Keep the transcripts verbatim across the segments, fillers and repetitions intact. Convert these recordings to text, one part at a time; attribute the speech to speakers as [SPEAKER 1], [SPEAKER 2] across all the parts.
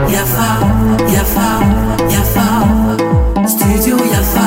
[SPEAKER 1] Yafa, Yafa, Yafa, Studio Yafa.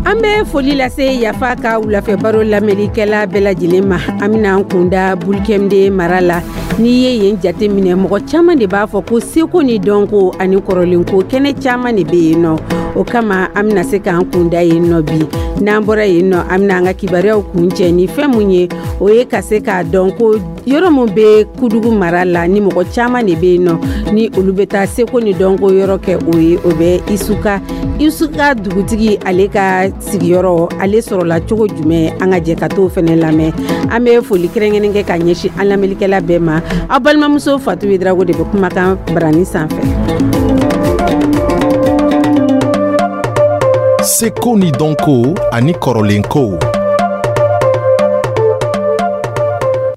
[SPEAKER 2] An bɛ foli lase Yafa ka wulafɛ baro lamɛnlikɛla bɛɛ lajɛlen ma. An bɛna an kunda Bulukɛmde mara la. N'i ye yen jate minɛ, mɔgɔ caman de b'a fɔ ko seko ni dɔnko ani kɔrɔlenko kɛnɛ caman de bɛ yen nɔ. O kama, an bɛna se k'an kunda yen nɔ bi. N'an bɔra yen nɔ, an bɛna an ka kibaruyaw kuncɛ ni fɛn mun ye, o ye ka se k'a dɔn ko yɔrɔ min bɛ Kudugu mara la, ni mɔgɔ caman de bɛ yen nɔ, ni olu bɛ taa seko ni dɔnko yɔrɔ kɛ, o ye o bɛ Isuka. Isuka dugutigi, ale ka sigiyɔrɔ, ale sɔrɔla cogo jumɛn? An ka jɛ ka t'o fɛnɛ lamɛn. An bɛ foli kɛrɛnkɛrɛn kɛ ka ɲɛsin an lamɛnlikɛla bɛɛ ma. Aw balimamuso Fatu Drago de bɛ kumakan barani sanfɛ.
[SPEAKER 3] Seko ni dɔnko ani kɔrɔlenkow.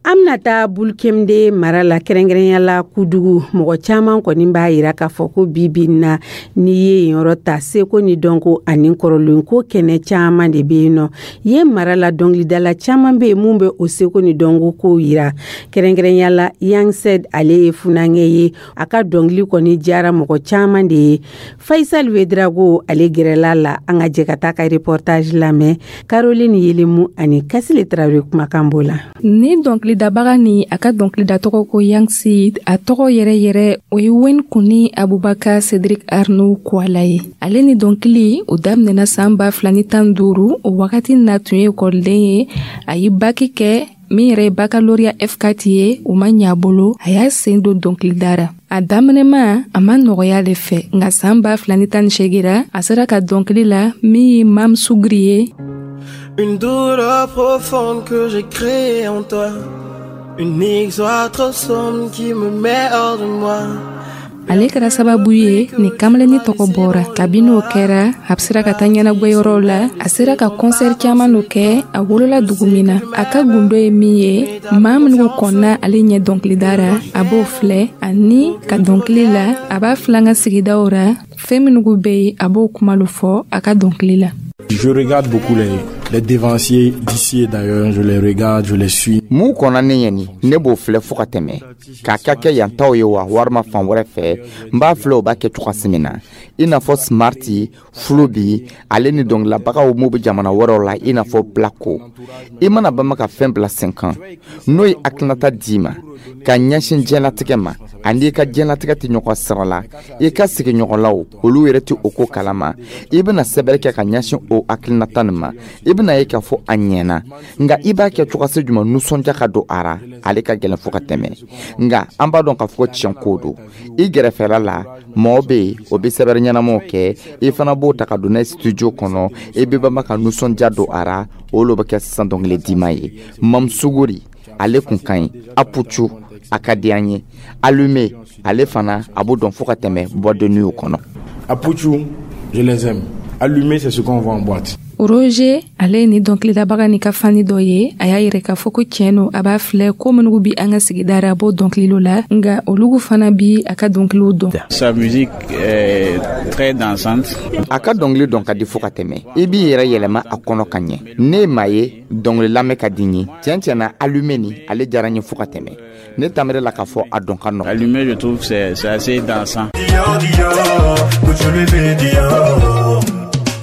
[SPEAKER 2] An bɛna taa Bulukɛmde mara la, kɛrɛnkɛrɛnya la Kudugu. Mɔgɔ caman kɔni b'a yira k'a fɔ ko bi bi na, n'i ye yen yɔrɔ ta, seko ni dɔnko ani kɔrɔlenko kɛnɛ caman de bɛ yen nɔ. Yen mara la, dɔnkilidala caman bɛ yen mun bɛ o seko ni dɔnko kow yira, kɛrɛnkɛrɛnya la Yansɛd. Ale ye funankɛ ye, a ka dɔnkili kɔni diyara mɔgɔ caman de ye. Faisal Wedrago, ale gɛrɛla la. An ka jɛ ka taa ka reportage lamɛn. Caroline Yelemu ani Kasile Tarawele kumakan b'o la.
[SPEAKER 4] Ni dɔnkilidabaga ni a ka dɔnkilida tɔgɔ ko Yangsid, a tɔgɔ yɛrɛ yɛrɛ, o ye Wen Kuni Abubakar Cédric Arnaud Kuala ye. Ale ni dɔnkili o daminɛna saan ba fila ni tan duuru. O wagati na tun ye ekɔliden ye. A ye baki kɛ min yɛrɛ ye baccalauréat F quatre ye, o ma ɲɛ a bolo, a y'a sen don dɔnkilida ra. A daminɛma, a ma nɔgɔya le fɛ, nka saan ba fila ni tan ni seegin ra, a sera ka dɔnkili la min ye Mam Sugri ye.
[SPEAKER 5] Une douleur profonde que j'ai créée en toi. Une histoire trop sombre qui me met hors de moi.
[SPEAKER 4] Ale kɛra sababu ye ni kamalenni tɔgɔ bɔra. Kabini o kɛra, a be sera ka taa ɲɛnagwɛyɔrɔw la, a sera ka kɔnsɛri caaman no kɛ a wolola dugu min na. A ka gundo ye min ye, maa minnu kɔnna ale ɲɛ dɔnkilida ra, a b'o filɛ ani ka dɔnkili la. A b'a filan ka sigidaw ra, fɛn minnu bɛ yen, a b'o kuma lo fɔ a ka dɔnkili la.
[SPEAKER 6] Je regarde beaucoup les, les devanciers d'ici et d'ailleurs, je les regarde, je les suis.
[SPEAKER 7] Mun kɔnna ne ɲɛ nin, ne b'o filɛ fo ka tɛmɛ k'a ka kɛ yan taw ye wa, walima fan wɛrɛ fɛ. N b'a filɛ o b'a kɛ cogosi min na, i n'a fɔ Smarty Fulubi, ale ni dɔnkililabagaw m'u bɛ jamana wɛrɛw la, i n'a fɔ Blako. I mana bama ka fɛn bila sen kan, n'o ye hakilinata d'i ma ka ɲɛsin diɲɛlatigɛ ma, ani i ka diɲɛlatigɛ tɛ ɲɔgɔn sira la, i ka sigiɲɔgɔnlaw, olu yɛrɛ tɛ o ko kalama, i bɛna sɛbɛnni kɛ ka ɲɛsin o hakilinata nin ma, i bɛna ye k'a fɔ a ɲɛna. Nka i b'a kɛ cogosi jumɛn nisɔndiya ka don a ra, ale ka gɛlɛn fo ka tɛmɛ. Nka an b'a dɔn k'a fɔ tiɲɛ ko don. I gɛrɛfɛla la, mɔɔ bɛ yen, o bɛ sɛbɛnni ɲɛnamaw kɛ, i fana b'o ta ka don n'a ye studio kɔnɔ, i bɛ banba ka nisɔndiya don a ra. O de bɛ kɛ sisan dɔnkili dima ye. Mamusuguri, ale kun ka ɲi. Apucu, a ka di an ye. Alume, ale fana a b'o dɔn fo ka tɛmɛ boîte de nuit kɔnɔ.
[SPEAKER 6] Apuchu, je les aime. Allumé, c'est ce qu'on voit en boîte.
[SPEAKER 4] Roger, ale ye ni dɔnkilidabaga ni ka fani dɔ ye. A y'a yɛrɛ k'a fɔ ko tiɲɛ no, a b'a filɛ ko minnu bi an ka sigida ra, a b'o dɔnkiliw la, nga olugu fana bi a ka dɔnkiliw dɔn.
[SPEAKER 8] Sa musique est très dansante.
[SPEAKER 7] A ka dɔnkili dɔn ka di fo ka tɛmɛ. I b'i yɛrɛ yɛlɛma a kɔnɔ ka ɲɛ. Ne ye maa ye, dɔnkili lamɛn ka di n ye. Tiɲɛ tiɲɛ na, Alume ni ale diyara n ye fo ka tɛmɛ. Ne tamɛrɛ la k'a fɔ a dɔn ka nɔgɔn.
[SPEAKER 8] Allumé, je trouve c'est c'est assez dansant.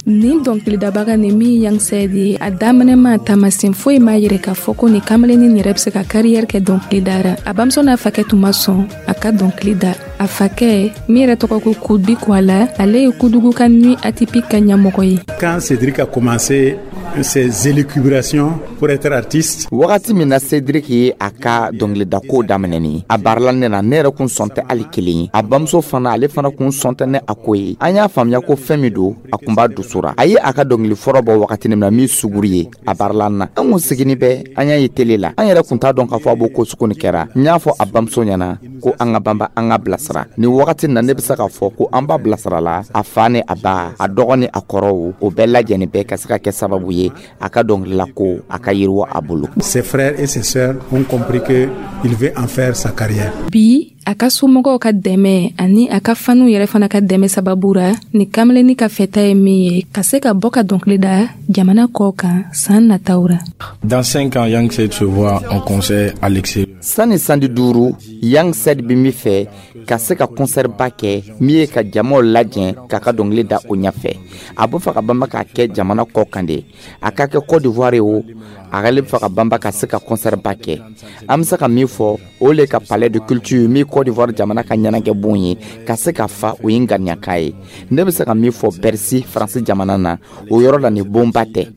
[SPEAKER 4] Nin dɔnkilidabaga ni min Yangsɛd ye, a daminɛma, tamasen foyi m'a yɛrɛ k'a fɔ ko nin kamalennin yɛrɛ bɛ se ka carrière kɛ dɔnkilida ra. A bamuso n'a fakɛ tun ma sɔn a ka dɔnkili da. A fakɛ min yɛrɛ tɔgɔ ko Kubi Kwala, ale ye Kudugu ka Nuit Atypique ka ɲɛmɔgɔ ye.
[SPEAKER 9] Quand Cédric a commencé ses élucubrations pour être artiste,
[SPEAKER 7] Wagati min na Cédric ye a ka dɔnkilidako daminɛni, a barala ne na. Ne yɛrɛ kun sɔn tɛ hali kelen ye. A bamuso fana, ale fana kun sɔn tɛ ne a ko ye. An y'a faamuya ko fɛn min don, a kun b'a dusu ra. A ye a ka dɔnkili fɔlɔ bɔ wagati min na, min suguri ye, a barala an na. An kun sigini bɛ, an y'a ye tele la, an yɛrɛ kun t'a dɔn k'a fɔ a b'o ko sugu nin kɛra. N y'a fɔ a bamuso ɲɛna ko an ka banba, an ka bilasira. Nin wagati na, ne bɛ se k'a fɔ ko an b'a bilasira la. A fa ni a ba, a dɔgɔ ni a kɔrɔw, o bɛɛ lajɛlen bɛɛ ka se ka kɛ sababu ye. ye a ka dɔnkilila ko a ka yiriwa a bolo.
[SPEAKER 9] Ses frères et ses sœurs ont compris que il veut en faire sa carrière.
[SPEAKER 4] Bi, a ka somɔgɔw ka dɛmɛ ani a ka faniw yɛrɛ fana ka dɛmɛ sababu ra, ni kameleni ka fɛta ye min ye, ka se ka bɔ ka dɔnkili da jamana kɔ kan saan nataw ra.
[SPEAKER 6] Dans cinq ans, Yang Sed se voit en concert à l'extérieur.
[SPEAKER 7] Sani sandi duuru, Yang Sed bɛ min fɛ, ka se ka concert ba kɛ min ye ka jamaw lajɛ k'a ka dɔnkili da o ɲɛfɛ. A bɛ fɛ ka banba k'a kɛ jamana kɔ kan de, a ka kɛ Côte d'Ivoire ye o, a ale bɛ fɛ ka banba ka se ka concert ba kɛ. An bɛ se ka min fɔ, o le ka Palais de culture min Côte d'Ivoire jamana ka ɲɛnajɛ bon ye, ka se ka fa, o ye ŋaniyakan ye. Ne bɛ se ka min fɔ, Bercy, Faransi jamana na, o yɔrɔ la, nin bonba tɛ,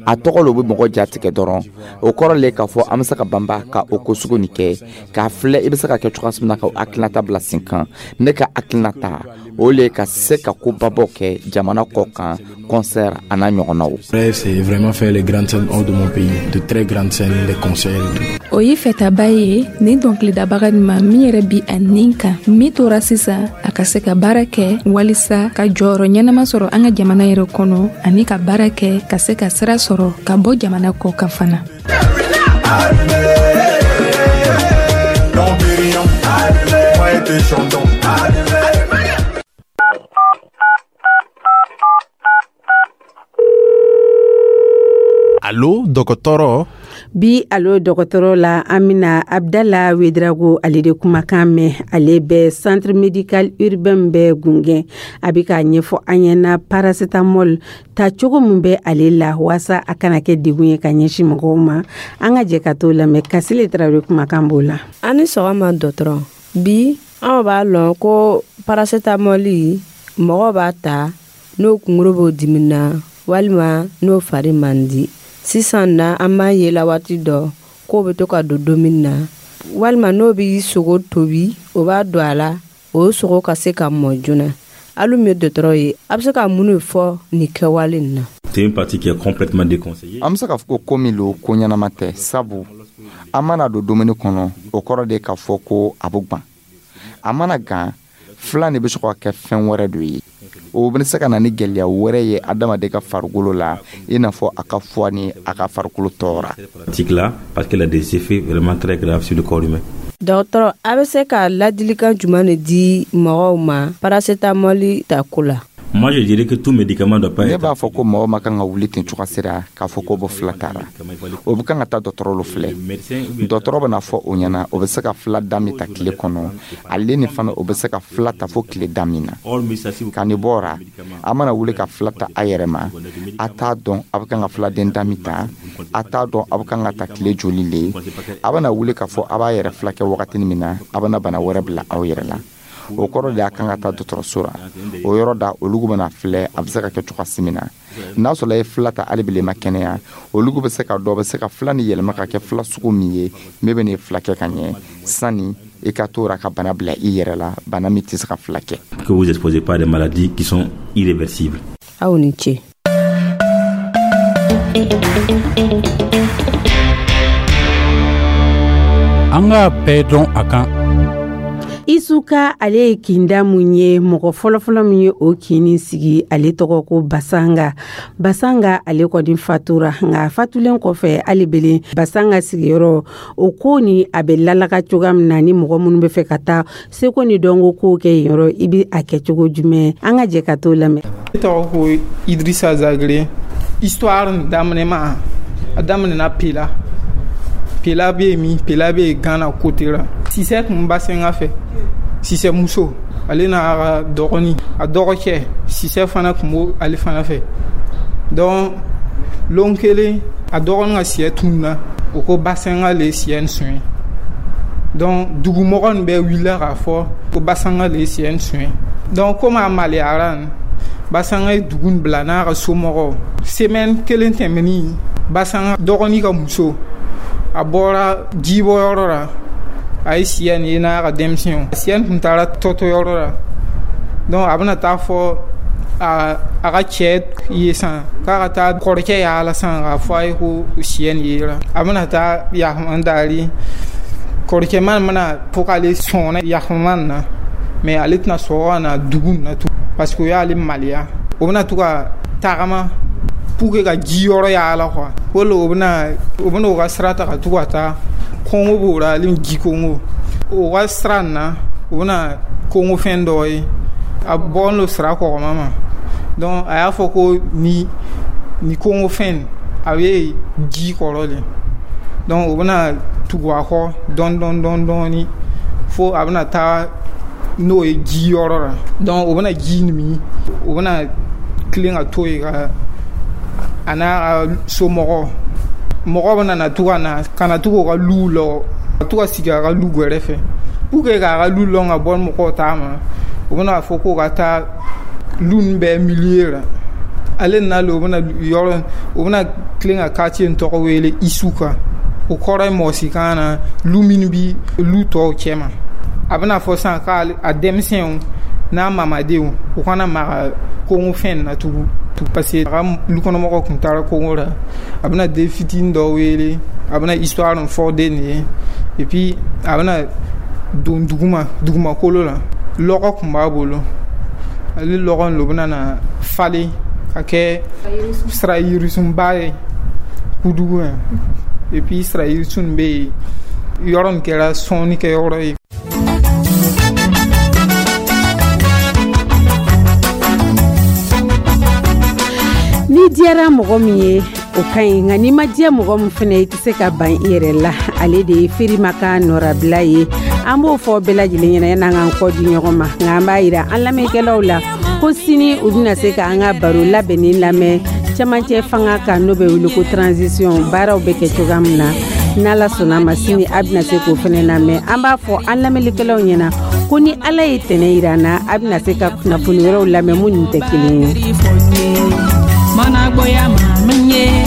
[SPEAKER 7] a tɔgɔ le bɛ mɔgɔ jatigɛ dɔrɔn. O kɔrɔ le k'a fɔ an bɛ se ka banba ka o ko sugu nin kɛ k'a filɛ, i bɛ se ka kɛ cogoya min na ka hakilinata bila sen kan. Ne ka hakilinata, o le ka se ka ko babaw kɛ jamana kɔ kan, concert a n'a ɲɔgɔnnaw.
[SPEAKER 6] Rêve, c'est vraiment faire les grandes scènes hors de mon pays, de très grandes scènes, des concerts et tout.
[SPEAKER 4] O ye fɛtaba ye nin dɔnkilidabaga nin ma min yɛrɛ bi a nin kan min tora sisan, a ka se ka baara kɛ walisa ka jɔyɔrɔ ɲɛnama sɔrɔ an ka jamana yɛrɛ kɔnɔ, ani ka baara kɛ ka se ka sira sɔrɔ ka bɔ jamana kɔ kan fana.
[SPEAKER 10] Dom Pérignon, moi et Chandon.
[SPEAKER 3] Alo dɔgɔtɔrɔ.
[SPEAKER 2] Bi alo dɔgɔtɔrɔ la, an bɛna Abdala Wedrago ale de kumakan mɛn. Ale bɛ Centre médical urbain bɛ Gungɛn. A bɛ k'a ɲɛfɔ an ɲɛna paracetamol ta cogo min bɛ ale la, waasa a kana kɛ degun ye ka ɲɛsin mɔgɔw ma. An ka jɛ ka t'o lamɛn. Kasile Tarawele kumakan b'o la.
[SPEAKER 11] An ni sɔgɔma, dɔgɔtɔrɔ. Bi, anw b'a lɔn ko paracetamol, mɔgɔ b'a ta n'o kunkolo b'o dimi na walima n'o fari man di. Sisan na, an b'a ye la waati dɔ k'o bɛ to ka don dumuni na, walima n'o bɛ sogo tobi, o b'a don a la, o sogo ka se ka mɔ joona. Alu min ye dɔgɔtɔrɔ ye, a bɛ se ka mun de fɔ nin kɛwale nin na?
[SPEAKER 12] C'est une partie qui est complètement déconseillée.
[SPEAKER 7] An bɛ se k'a fɔ ko ko min lo, ko ɲɛnama tɛ, sabu an mana don dumuni kɔnɔ, o kɔrɔ de k'a fɔ ko a bɛ gan. A mana gan, fila de bɛ sɔrɔ ka kɛ fɛn wɛrɛ dɔ ye, o bɛ se ka na ni gɛlɛya wɛrɛ ye adamaden ka farikolo la, i n'a fɔ a ka foie ni a ka farikolo tɔɔrɔ.
[SPEAKER 12] Pratique là, parce qu'elle a des effets vraiment très graves sur le corps humain.
[SPEAKER 11] Dɔgɔtɔrɔ, a bɛ se ka ladilikan jumɛn de di mɔgɔw ma paracetamol ta ko la?
[SPEAKER 12] Moi, je dirais que tout médicament doit pas
[SPEAKER 7] Ne
[SPEAKER 12] être.
[SPEAKER 7] b'a fɔ ko mɔgɔ ma kan ka wuli ten cogoya sera k'a fɔ k'o bɛ fila tara. O bɛ kan ka taa dɔgɔtɔrɔ lo filɛ. Dɔgɔtɔrɔ bɛna fɔ o ɲɛna o bɛ se ka fila da min ta tile kɔnɔ, ale ni fana o bɛ se ka fila ta fo tile da min na. Ka nin bɔra, a mana wuli ka fila ta a yɛrɛ ma, a t'a dɔn a bɛ kan ka filaden da min ta, a t'a dɔn a bɛ kan ka ta tile joli le. A bɛna wuli k'a fɔ a b'a yɛrɛ fila kɛ wagatinin min na, a bɛna bana wɛrɛ bila aw yɛrɛ la. O kɔrɔ de y'a kan ka taa dɔgɔtɔrɔso la. O yɔrɔ da, olu bɛna filɛ a bɛ se ka kɛ cogoya min na. N'a sɔrɔ i ye fila ta, hali bilen ma kɛnɛya, olu bɛ se ka dɔ bɛ se ka fila ni yɛlɛma ka kɛ fila sugu min ye min bɛ nin fila kɛ ka ɲɛ, sani i ka to ka bana bila i yɛrɛ la, bana min tɛ se ka fila kɛ.
[SPEAKER 12] Que vous exposez pas à des maladies qui sont irréversibles.
[SPEAKER 11] Aw ni ce.
[SPEAKER 9] An k'a bɛɛ dɔn a kan.
[SPEAKER 2] Isuka, ale ye kinda mun ye, mɔgɔ fɔlɔfɔlɔ min ye o kin sigi, ale tɔgɔ ko Basanga. Basanga, ale kɔni fatura, nka fatulen kɔfɛ, ale belen Basanga sigiyɔrɔ, o ko ni a bɛ lalaka cogoya min na, ni mɔgɔ minnu bɛ fɛ ka taa seko ni dɔnko kow kɛ yen yɔrɔ, i bɛ a kɛ cogo jumɛn? An ka jɛ ka t'o lamɛn.
[SPEAKER 13] Ne tɔgɔ ko Idrissa Zagre. Histoire nin daminɛ ma, a daminɛna Pela. Pela bɛ yen min, Pela bɛ yen Ghana côté la. Sisɛ tun Basenga fɛ. Sisɛ muso, ale n'a ka dɔgɔnin, a dɔgɔkɛ Sisɛ fana tun b'o ale fana fɛ. Donc lon kelen, a dɔgɔnin ka siyɛ tununna, o ko Basenga le ye siyɛ nin suɲɛ. Donc dugumɔgɔ nin bɛɛ wulila k'a fɔ ko Basanga le ye siyɛ nin suɲɛ. Donc komi a maliyara nin, Basanga ye dugu nin bila n'a ka somɔgɔw. Semaine kelen tɛmɛnin, Basanga dɔgɔnin ka muso, a bɔra jibɔyɔrɔ la, a ye siyɛ nin ye n'a ka denmisɛnw. Siyɛ nin tun taara tɔtɔyɔrɔ la. Donc a bɛna taa fɔ a a ka cɛ ye san k'a ka taa kɔrɔkɛ y'a la san k'a fɔ a ye ko siyɛ nin yera. A bɛna taa yafama dali kɔrɔkɛ ma mana fo k'ale sɔnna yafama nin na, mais ale tɛna sɔrɔ ka na dugu nin na tugun, parce que o y'ale maliya. O bɛna to ka tagama. Pour que ka ji yɔrɔ y'a la quoi. O le o bɛna o bɛna o ka sira ta ka to ka taa kɔngɔ b'o la, ale ni ji kɔngɔ. O ka sira nin na, o bɛna kɔngɔ fɛn dɔ ye, a bɔlen don sira kɔgɔma ma. Donc a y'a fɔ ko ni ni kɔngɔ fɛn a bɛ ji kɔrɔ de. Donc o bɛna tugu a kɔ dɔɔni dɔɔni dɔɔni dɔɔni fo a bɛna taa n'o ye ji yɔrɔ la. Donc o bɛna ji min, o bɛna tilen ka to yen ka a n'a ka somɔgɔ mɔgɔ bɛna na to ka na ka na to k'o ka luw lɔ, ka to ka sigi a ka lu gɛrɛfɛ fɛ pour que k'a ka lu lɔn ka bɔ mɔgɔw ta ma. O bɛna fɔ k'o ka taa lu ninnu bɛɛ milieu la. Ale nalen, o bɛna yɔrɔ, o bɛna tilen ka quartier in tɔgɔ wele Isuka. O kɔrɔ ye mɔsikan na lu minnu bi lu tɔw cɛ ma. A bɛna fɔ sisan k'ale a denmisɛnw n'a mamadenw, u kana maga kongo fɛn na tugun, parce que a ka lukɔnɔmɔgɔw tun taara kongo la. A bɛna den fitinin dɔ wele, a bɛna histoire nin fɔ den nin ye. Et puis a bɛna don duguma, dugumakolo la. Lɔgɔ tun b'a bolo, ale lɔgɔ nin, o bɛna na falen ka kɛ sira yirisunba ye Kudugu yan. Et puis sira yirisun nin bɛ yen, yɔrɔ nin kɛra sɔnni kɛyɔrɔ ye.
[SPEAKER 2] N'i diyara mɔgɔ min ye, o ka ɲi, nka n'i ma diya mɔgɔ min fana, i tɛ se ka ban i yɛrɛ la. Ale de ye Firima ka nɔrabila ye. An b'o fɔ bɛɛ lajɛlen ɲɛna yan'an k'an kɔ di ɲɔgɔn ma. Nka an b'a yira an lamɛnnikɛlaw la ko sini u bɛna se ka an ka baro labɛnnen lamɛn cɛmancɛ fanga kan, n'o bɛ wele ko transition, baaraw bɛ kɛ cogoya min na. N'Ala sɔnna a ma, sini a bɛna se k'o fana lamɛn. An b'a fɔ an lamɛnnikɛlaw ɲɛna ko ni Ala ye tɛnɛ yira an na, a bɛna se ka kunnafoni wɛrɛw lamɛn minnu tɛ kelen ye.
[SPEAKER 14] Mana gboya ma minye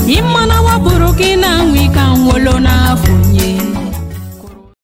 [SPEAKER 14] i mana wa Burukina ŋwi kan wolo na fonye.